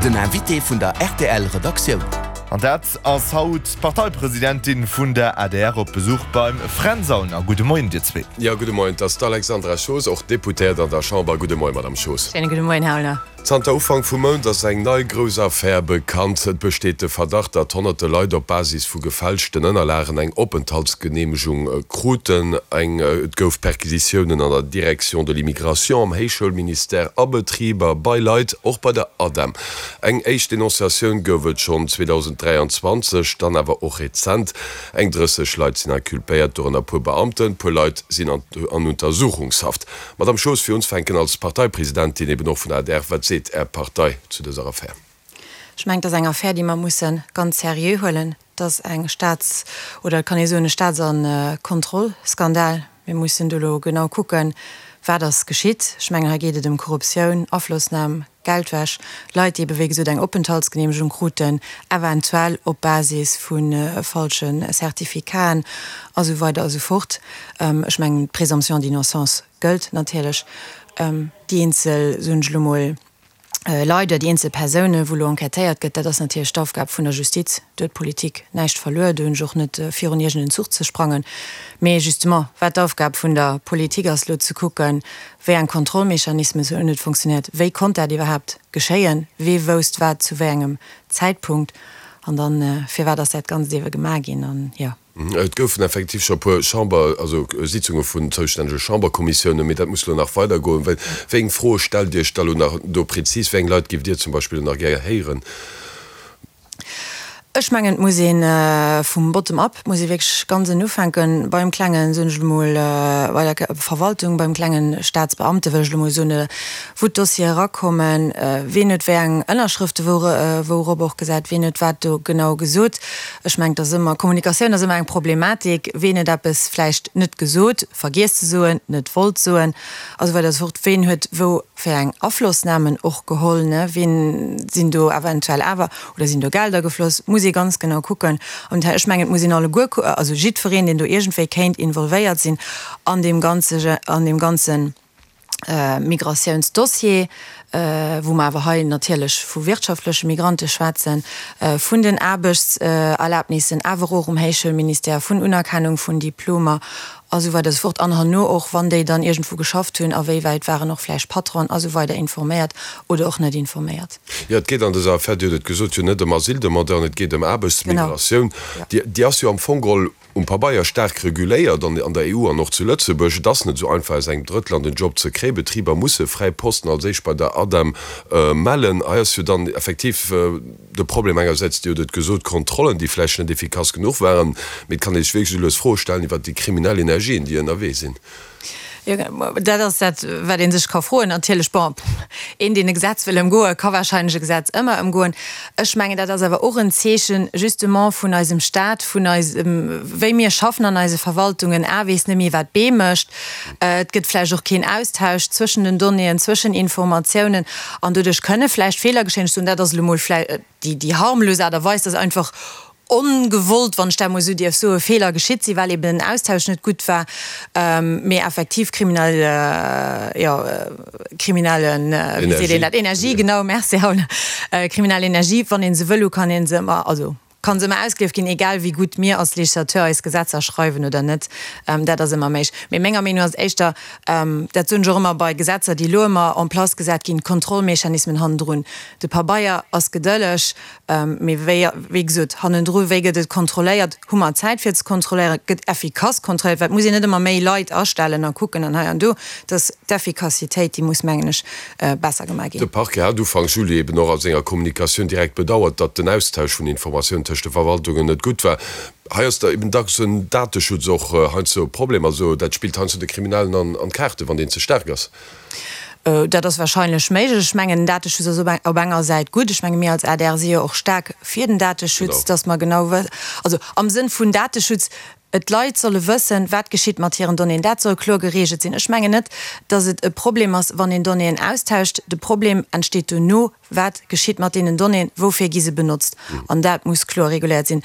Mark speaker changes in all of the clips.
Speaker 1: Den Invité vun der rtl Redaktioun.
Speaker 2: An dat ass haut d'Parteipresidentin vun der adr op Besuch beim Fränz Aulner. Gudde Moien dir zwee.
Speaker 3: Jo, gudde Moien. Et ass d'Alexandra Schoos, och Deputéiert an der Chamber. Gudde Moien, Madame Schoos.
Speaker 4: Schéine gudde Moien, Här Aulner.
Speaker 3: Zanter Ufank vum Mount ass eng nei grouss Affär bekannt. Et besteet de Verdacht, datt honnerte Leit op Basis vu gefälschten Ënnerlagen eng Openthaltsgeneemegung kruten. Eng Et gouf Perquisitiounen an der Direction de l'immigration, am Héichschoulministère, a Betriber, bei Leit, och bei der ADEM. Eng éischt Denonciatioun gouf et schonn 2023, dann awer och rezent. Eng 30 Leit sinn inculpéiert, dorënner puer Beamten. Puer Leit sinn an Untersuchungshaft. Madamm Schoos, fir unzefänken, als Parteipresidentin eben och vun der adr, wat seet Är Partei zu dëser Affär?
Speaker 4: Ech mengen, et ass eng Affär, déi mer musse ganz seriö huelen. Et ass eng Staats-, oder et kann ee soen, e Staats a Kontrollskandal. Mir mussen do elo genau kucken, wat ass geschitt. Ech mengen, hei geet et ëm Korruptioun, Aflossnam, Geldwäsch, Leit, déi ebe wéi gesot eng Openthaltsgeneemegung kruten, eventuell op Basis vu falsche Certificaten a sou weider a sou fort. Ech mengen, d'Présomption d'innocence gëllt natierlech. Déi eenzel, soen ech elo mol, Leit oder déi eenzel Persounen, wou elo enquêtéiert gëtt, dat ass natierlech d'Aufgab vun der Justiz. Do huet d'Politik näischt verluer. Do hunn ech och net virun iergend en Zuch ze sprangen. Mee justement, wat d'Aufgab vun der Politik ass, elo ze kucken, Wéi eng Kontrollmechanismen hunn net funktionéiert? Wéi konnt dat iwwerhaapt geschéien? Wee wousst wat zu wéi engem Zäitpunkt? An dann, firwat ass dat Ganzt ewe gemaach ginn? An jo.
Speaker 3: Et goufen effektiv scho e puer Chamber, also Sitzunge vun zoustännege Chamberkommissiounen, mee dat muss elo nach weidergoen. Wéi eng Froe stellt Dir Iech da elo nach do prezis? Wéi eng Leit géift Dir zum Beispill elo nach gär héieren?
Speaker 4: Ech mengen, et muss ee vum Bottom up, et muss ee wierklech ganz ënnen ufänken, beim klengen, soen ech elo mol, bei der Verwaltung, beim klengen Staatsbeamte wëll ech elo mol soen, wou d'Dossiere erakommen, wien huet wéi eng Ënnerschrëfte wourop och gesat, wien huet wat do genau gesot. Ech mengen, et ass ëmmer, Kommunikatioun ass ëmmer eng Problematik, wien huet eppes vläicht net gesot, vergiess ze soen, net wollt soen a sou weider a sou fort, wien huet wou fir eng Aflossnamen och geholl, ne, wien sinn do eventuell awer Oder sinn do Gelder gefloss? Muss ee ganz genau kucken. An ech mengen, et muss een alleguer, also jiddwereen, deen do iergendwéi kéint involvéiert sinn an deem ganze, an deem ganze Migratiounsdossier, wou mer awer hei natierlech vu wirtschaftleche Migrante schwätzen, vun den Aarbechtserlaabnissen, awer och um Héichschoulministère, vun Unerkennung vun Diplomer a sou weider a sou fort, an herno och, wann déi dann iergendwou geschafft hunn, awéiwäit waren och vläicht Patronen a sou weider informéiert oder och net informéiert.
Speaker 3: Jo, et geet an dëser Affär, Dir hutt et gesot, jo net ëm Asyldemandeuren, et geet ëm Aarbechtsmigratioun. Déi ass jo am Fong geholl um Pabeier staark reguléiert an der EU an och zu Lëtzebuerg. Et ass net esou einfach, aus engem Drëttland en Job ze kréien. Betriber musse fräi Posten als éischt bei der ADEM mellen. Hei ass jo dann effektiv de Problem engersäits, Dir hutt et gesot, Kontrollen, déi vläicht net efficace genuch waren. Mee et kann ee sech wierklech esou lues Froe stellen iwwert déi kriminell Energien, déi ënnerwee sinn.
Speaker 4: Jo, dat ass dat, wat ee sech ka froen natierlech. Bon, een, deen e Gesetz wëll ëmgoen, ka wahrscheinlech e Gesetz ëmmer ëmgoen. Ech mengen, dat ass awer och en Zeechen justement vun eisem Stat, vun eisem, wéi mir schaffen an eise Verwaltungen. A weess net méi, wat B mécht. Et gëtt vläicht och keen Austausch zwëschen den Donnéeën, zwëschen Informatiounen an doduerch kënne vläicht Feeler geschéien. Ech soen, dat ass elo mol vläicht déi harmlos Aart a Weis, dass einfach ongewollt, wann ech dat emol esou dierf soen, Feeler geschitt sinn, well eben den Austausch net gutt war, mee effektiv kriminell, jo, kriminellen, wéi seet een dat, Energie, genau, merci Raoul, kriminell Energie, wann ee se wëll hu, kann ee se ëmmer, also ka se ëmmer ausgelieft ginn, egal wéi gutt mir als Législateur eis Gesetzer schreiwen oder net, dat ass ëmmer méiglech. Mee menger Meenung no ass et éischter, dat soen ech och ëmmer bei Gesetzer, déi elo ëmmer en place gesat ginn, d'Kontrollmechanismen hannendrun, de Pabeier ass gedëlleg, Mee wéi, wéi gesot, hannendru, wéi gëtt et kontrolléiert? Hu mer Zäit fir ze kontrolléieren? Gëtt effikass kontrolléiert? Well et muss een net ëmmer méi Leit astellen a kucken an hei an do. Dass d'Effikassitéit, déi muss, mengen ech, besser gemaach ginn.
Speaker 3: De Parquet hat Ufank Juli eben och a senger Kommunikatioun direkt bedauert, datt den Austausch vun Informatiounen tëscht de Verwaltungen net gutt war. Hei ass da eben dacks en Dateschutz och heiansdo e Problem. Also dat spillt heiansdo de Kriminellen an d'Kaarten, wann deen ze staark ass.
Speaker 4: Dat ass wahrscheinlech méiglech. Ech mengen, den Dateschutz ass op enger Säit gutt. Ech menge mir als adr si jo och staark fir den Dateschutz, dass mer genau wë-, also am Sënn vun Dateschutz. D'Leit solle wëssen, wat geschitt mat hiren Donnéeën. Dat soll kloer gereegelt sinn. Ech mengen net, datt et e Problem ass, wann een Donnéeën austauscht. De Problem entsteet duerno, Wat geschitt mat deenen Donnéeën? Woufir gi se benotzt? An dat muss kloer reguléiert sinn.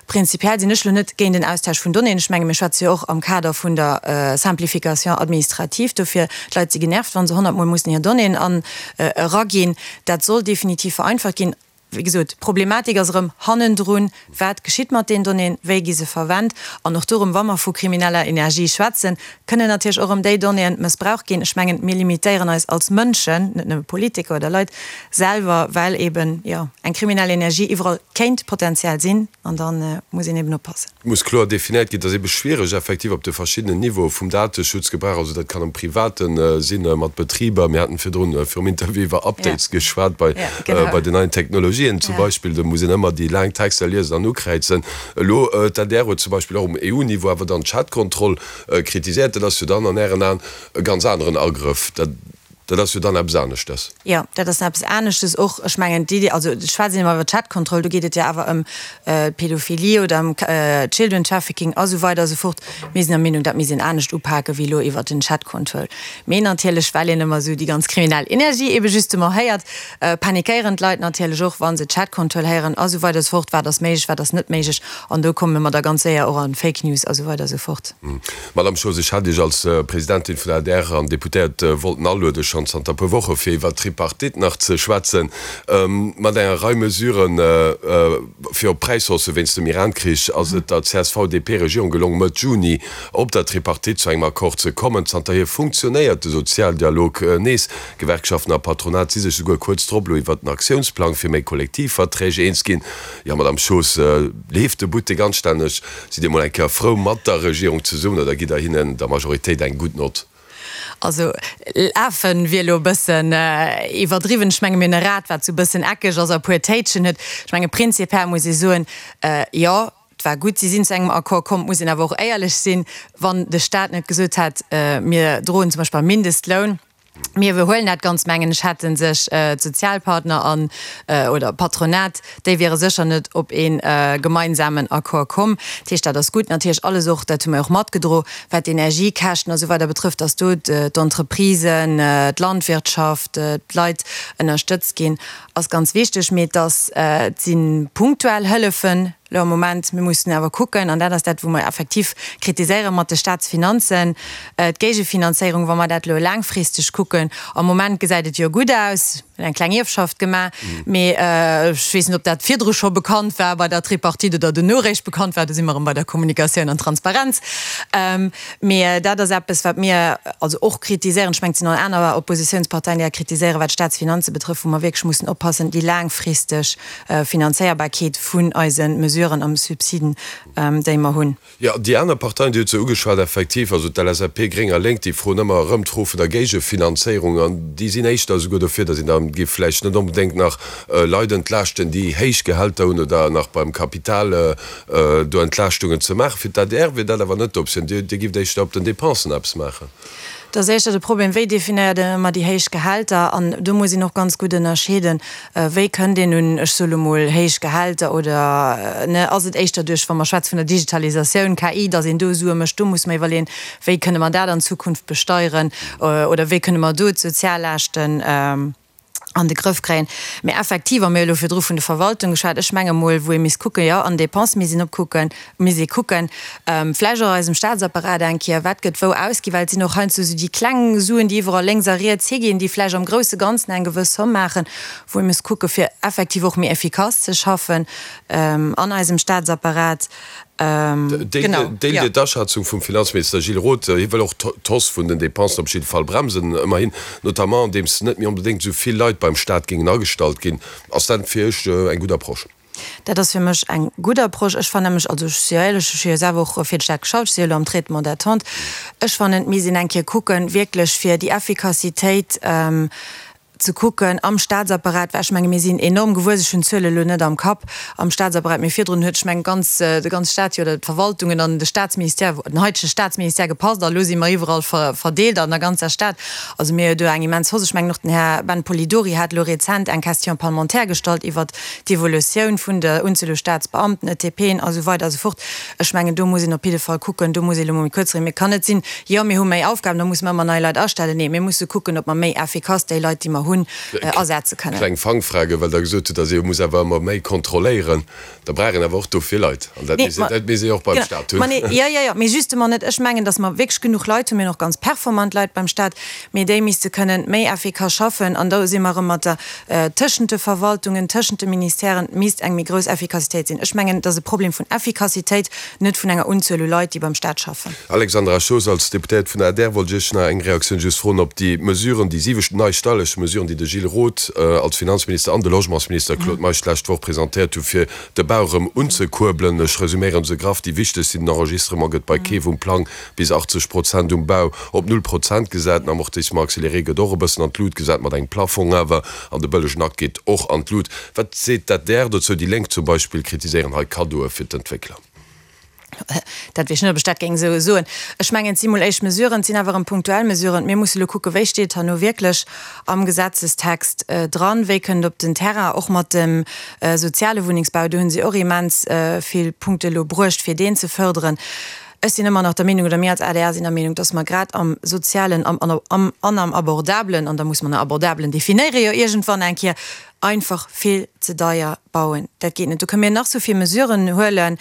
Speaker 4: Prinzipiell sinn ech elo net géint en Austausch vun Donnéeën. Ech menge mir schwätze jo och am Kader vun der Simplification administrative dofir. D'Leit si genervt, wa se honnertmol mussen hir Donnéeën an eraginn. Dat soll definitiv vereinfacht ginn. Wéi gesot, d'Problematik ass erëm hannendrun, Wat geschitt mat deenen Donnéeën? Wéi gi se verwennt? An och do erëm, wa mer vu krimineller Energie schwätzen, kënnen natierlech och erëm déi Donnéeën mëssbraucht ginn. Ech mengen, mir limitéieren eis als Mënschen, net nëmme Politiker oder Leit, selwer, well eeben, jo, eng kriminell Energie iwwerall kéint potenziell sinn. An da muss een eeben oppassen.
Speaker 3: Et muss kloer definéiert ginn, et ass eebe schwiereg effektiv op de verschiddenen Niveaue vum Dateschutz gebrauch, also dat kann am Private sinn, mat Betriber, mir haten virdrun virum Interview iwwer Updates geschwat bei bei den neien Technologien zum Beispill, do muss een ëmmer déi laang Texter liesen an ukräizen. Elo d'ADR huet zum Beispill och um EU-Niveau awer dann d'Chatkontroll kritiséiert, dat ass jo dann an Ären Aen e ganz aneren Agrëff. Dat. Dat ass jo dann eppes aneschtes.
Speaker 4: Jo, dat ass eppes aneschtes och. Ech mengen, d'Iddi, also ech schwätzen ëmmer iwwer Chatkontroll, do geet et jo awer ëm d'Pädophilie oder ëm Children Trafficking a sou weider a sou fort. Mir sinn der Meenung, dat misst een anescht upake wéi elo iwwer den Chatkontroll. Mee natierlech, well een ëmmer esou déi ganz kriminell Energie ebe justement héiert, panikéieren d'Leit natierlech och, wa se Chatkontroll héieren a sou weider a sou fort. Wat ass méiglech, wat ass net méiglech? An do komme mer da ganz séier och an Fake News a sou weider a sou fort.
Speaker 3: Madame Schoos, ech hat Iech als Presidentin vun der adr an Deputéiert wollten aluede schonn zanter e puer Woche fir iwwert d'Tripartite nach ze schwätzen. Mat enger Rei Mesuren fir op Präishaussë wéinst dem Iran-Krich ass et der CSV-DP-Regierung gelong Mëtt Juni op der Tripartite zu engem Accord ze kommen. Zanterhier funktionéiert de Sozialdialog nees. Gewerkschaften a Patronat si sech souguer kuerz drop elo iwwert den Aktiounsplang fir méi Kollektivverträg eens ginn. Jo, Madame Schoos, leeft de Buttek anstänneg? Sidd Dir mol eng Kéier frou mat der Regierung zesummen oder gitt Der hinnen, der Majoritéit, eng gutt Nott?
Speaker 4: Also lafen wier elo e bëssen iwwerdriwwen. Ech menge mir hunn e Rad, wat esou e bëssen eckeg ass a e puer Téitschen huet. Ech menge prinzipiell muss ee soen, jo, et war gutt, si sinn zu engem Accord komm. Et muss een awer och éierlech sinn, wann de Stat net gesot hätt, mir droen zum Beispill beim Mindestloun, Mir iwwerhuelen dat Ganzt, mengen ech, hätte sech d'Sozialpartner an, oder d'Patronat, déi wiere sécher net op ee gemeinsamen Accord komm. Dat heescht, dat ass gutt. Natierlech alles och, dat hu mir och matgedro, wat d'Energiekäschten a sou weider betrëfft, dass do d'Entreprisen, d'Landwirtschaft, d'Leit ënnerstëtzt ginn, ass ganz wichteg. Mee et ass, et si punktuell Hëllefen, Elo am Moment, mir mussen awer kucken, an dat ass dat, wou mer effektiv kritiséiere mat de Staatsfinanzen, d'Géigefinanzéierung, wa mer dat elo laangfristeg kucken, am Moment gesäit et jo gutt aus, mir hunn eng kleng Ierfschaft gemaach, mee ech weess net, ob dat virdru scho bekannt war bei der Tripartite oder duerno eréischt bekannt war, do si mer erëm bei der Kommunikatioun an Transparenz. Mee dat ass eppes, wat mir also och kritiséieren. Ech mengen, et sinn och aner Oppositionsparteien, déi dat kritiséieren, wat d'Staatsfinanze betrëfft, wou mer wierklech mussen oppassen, déi laangfristeg Finanzéierbarkeet vun eise Mesuren a Subsiden, déi mer hunn.
Speaker 3: Jo, déi aner Parteien, Dir hutt se ugeschwat, effektiv, also d'LSAP, Gréng a Lénk, déi froen ëmmer erëm d'Fro vun der Géigefinanzéierung an déi sinn éischter esouguer dofir, datt een da géif vläicht net onbedéngt nach Leit entlaaschten, déi héich Gehälter hunn oder nach beim Kapital do Entlaaschtungen ze maachen. Fir d'ADR wier dat awer net d'Optioun. Dir gifft éischter op den Dépensen eppes maachen.
Speaker 4: Et ass éischter de Problem, wéi definéiert een ëmmer déi héich Gehälter? An do muss een och ganz gutt ënnerscheeden, wéi kënnt een un, ech soe lo mol, héich Gehälter oder, ne, ass et éischter duerch, wa mer schwätze vun der Digitalisatioun, KI, datt een do Sue mécht? Do muss mer iwwerleeën, wéi kënne mer dat an Zukunft besteieren oder wéi kënne mer do d'Soziallaaschten an de Grëff kréien. Mee effektiv, a mir hu elo virdru vun de Verwaltung geschwat, ech menge mol, wou ee misst kucken, jo, an Dépense misst een opkucken, misst ee kucken, vläicht och eisem Statsapparat eng Kéier, wat gëtt wou ausginn, well et sinn och heiansdo esou déi kleng Suen, déi iwwerall lénks a riets higinn, déi vläicht am grousse Ganzen eng gewëss Somm maachen, wou ee misst kucke fir effektiv och méi effikass ze schaffen an eisem Statsapparat.
Speaker 3: Deelt Dir d'Aschätzung vum Finanzminister Gilles Roth? Hie wëll och d'Hausse vun den Dépensen op jidde Fall bremsen, ëmmerhin, notamment andeems net méi onbedéngt esou vill Leit beim Staat géingen agestallt ginn. Ass dat fir Iech eng gutt Approche?
Speaker 4: Dat ass fir mech eng gutt Approche. Ech fannen nämlech, also ech si jo éierlech, ech hu jo selwer och fir de Staat geschafft, ech si jo elo am Traitement d'attente, ech fannen, et misst een eng Kéier kucken, wierklech fir déi Effikassitéit. ze kucken am Statsapparat, well ech menge mir sinn enorm gewuess, ech hunn d'Zuele elo net am Kapp, am Statsapparat, mee virdrun huet, ech mengen, ganz, de ganze Stat jo, oder d'Verwaltungen an de Statsministère, den haitege Statsministère gepasst a elo si mer iwwerall verdeelt an der ganzer Stad. Also mir hu do eng immens Hausse. Ech mengen och den Här Ben Polidori hat elo rezent eng Question parlementaire gestallt iwwert d'Evolutioun vun der Unzuel u Statsbeamten, ETPen a sou weider a sou fort. Ech mengen, do muss een op jidde Fall kucken, do muss ee elo mol méi kuerz reden. Mee et kann net sinn, jo mir hu méi Aufgaben, da musse mer ëmmer nei Leit astellen. Nee, mir musse kucken, ob mer méi effikass déi Leit, déi mer hunn, asetze kënnen.
Speaker 3: Kleng Fangfrage, well Der gesot hutt, datt ee muss awer ëmmer méi kontrolléieren. Da brauch een awer och dofir Leit. An dat misst dat misst ee och beim Stat hunn.
Speaker 4: Ma nee, jo, jo, jo, mee justement net. Ech mengen, datt mer wierklech genuch Leit hunn. Mir hunn och ganz performant Leit beim Stat, mee déi misste kënnen méi effikass schaffen. An do si mer erëm mat der, tëschent de Verwaltungen, tëschent de Ministèren misst eng méi grouss Effikassitéit sinn. Ech mengen, et ass e Problem vun Effikassitéit, net vun enger Unzuel u Leit, déi beim Stat schaffen.
Speaker 3: Alexandra Schoos, Als Deputéiert vun der adr wollt ech Iech nach eng Reaktioun just froen op déi Mesuren, déi siwecht nei steierlech Mesuren, déi de Gilles Roth als Finanzminister an de Logementsminister Claude Meisch d'lescht Woch presentéiert hu fir de Bau erëm unzekuerbelen. Ech resuméieren se graff, Déi wichtegst sinn, den Enregistrement gëtt bei Keef um Plang bis 80 Prozent um Bau op null Prozent gesat, den Amortissement accéléré gëtt och e bëssen an d'Lut gesat, mat engem Plafong awer, an de bëllegen Akt geet och an d'Lut. Wat seet d'ADR dozou? Déi Lénk zum Beispill kritiséieren hei Kaddoe fir d'Entwéckler.
Speaker 4: Dat weess ech net, ob ech dat géing esou soen. Ech mengen, et si mol éischt Mesuren, et sinn awer erëm punktuell Mesuren. Mir musse elo kucken, wéi steet et herno wierklech am Gesetzestext dran, wéi kënnt et op den Terrain, och mat dem soziale Wunnengsbau. Do hu si och immens vill Punkte elo bruecht, fir deen ze fërderen. Ech sinn ëmmer nach der Meenung, oder mir als adr sinn der Meenung, dass mer grad am sozialen am an am abordablen, an da muss mer nach abordablen definéiere jo iergendwann eng Kéier, einfach vill ze deier bauen. Dat geet net. Do kënne mir nach sou vill Mesuren huelen,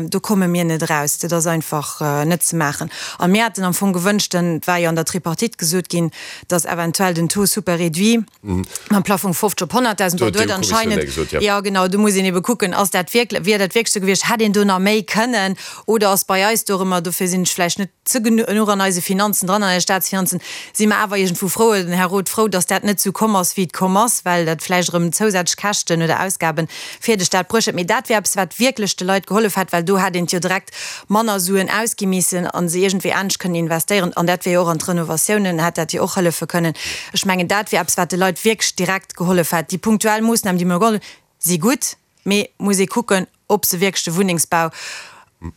Speaker 4: do komme mir net eraus. Dat ass einfach net ze maachen. A mir haten am Fong gewënscht, denn et war jo an der Tripartite gesot ginn, dass eventuell den Taux super réduit mam Plafong 50 op 100.000, bon do huet anscheinend, jo genau, do muss een ebe kucken, ass dat wierklech, wier dat wierklech sou gewiescht, hätt een do nach méi kënnen oder ass bei eis do erëm, dofir sinn ech vläicht net ze genuch an eise Finanzen dran, an eise Staatsfinanzen, si mer awer iergendwou frou, oder den Här Roth frou, datt dat net esou komm ass, wéi et komm ass, well dat vläicht erëm zousätzlech Käschten oder Ausgabe fir de Staat bruecht hätt. Mee dat wär eppes, wat wierklech de Leit gehollef hätt, well do hätt een et jo direkt manner Suen ausgi missen a se iergendwéi anescht kënnen investéieren. An dat wär jo och an d'Renovatiounen hätt dat jo och hëllefe kënnen. Ech mengen, dat wär eppes, wat de Leit wierklech direkt gehollef hätt. Déi punktuell Moossnamen, déi mer geholl hunn, si gutt, mee muss ee kucken, ob se wierklech de Wunnengsbau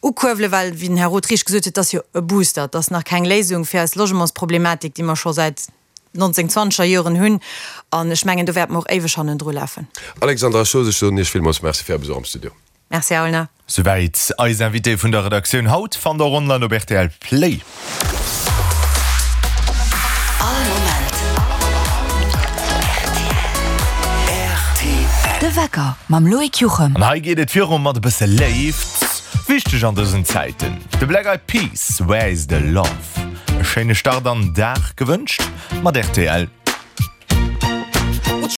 Speaker 4: ukuerwelen, well, wéi den Här Roth richteg gesot huet, et ass jo e Booster, et ass nach keng Léisung fir eis Logementsproblematik, déi mer scho säit 1920er Joren hunn. An ech mengen, do wäerte mer och éiweg hannendru lafen.
Speaker 3: Alexandra Schoos, ech soen Iech villmools Merci fir Är Besuch am Studio.
Speaker 4: Merci, Här Aulner.
Speaker 2: Souwäit eis Invitée vun der Redaktioun haut. Fannt der och online op rtl Play.
Speaker 1: All Moment rtl.
Speaker 5: De Wecker mam Loïc Juchem.
Speaker 2: An hei geet et viru mat e bësse Léift, wichteg an dësen Zäiten. De Black Eyed Peas, Where is the Love? E schéine Start an Dag gewënscht mat rtl.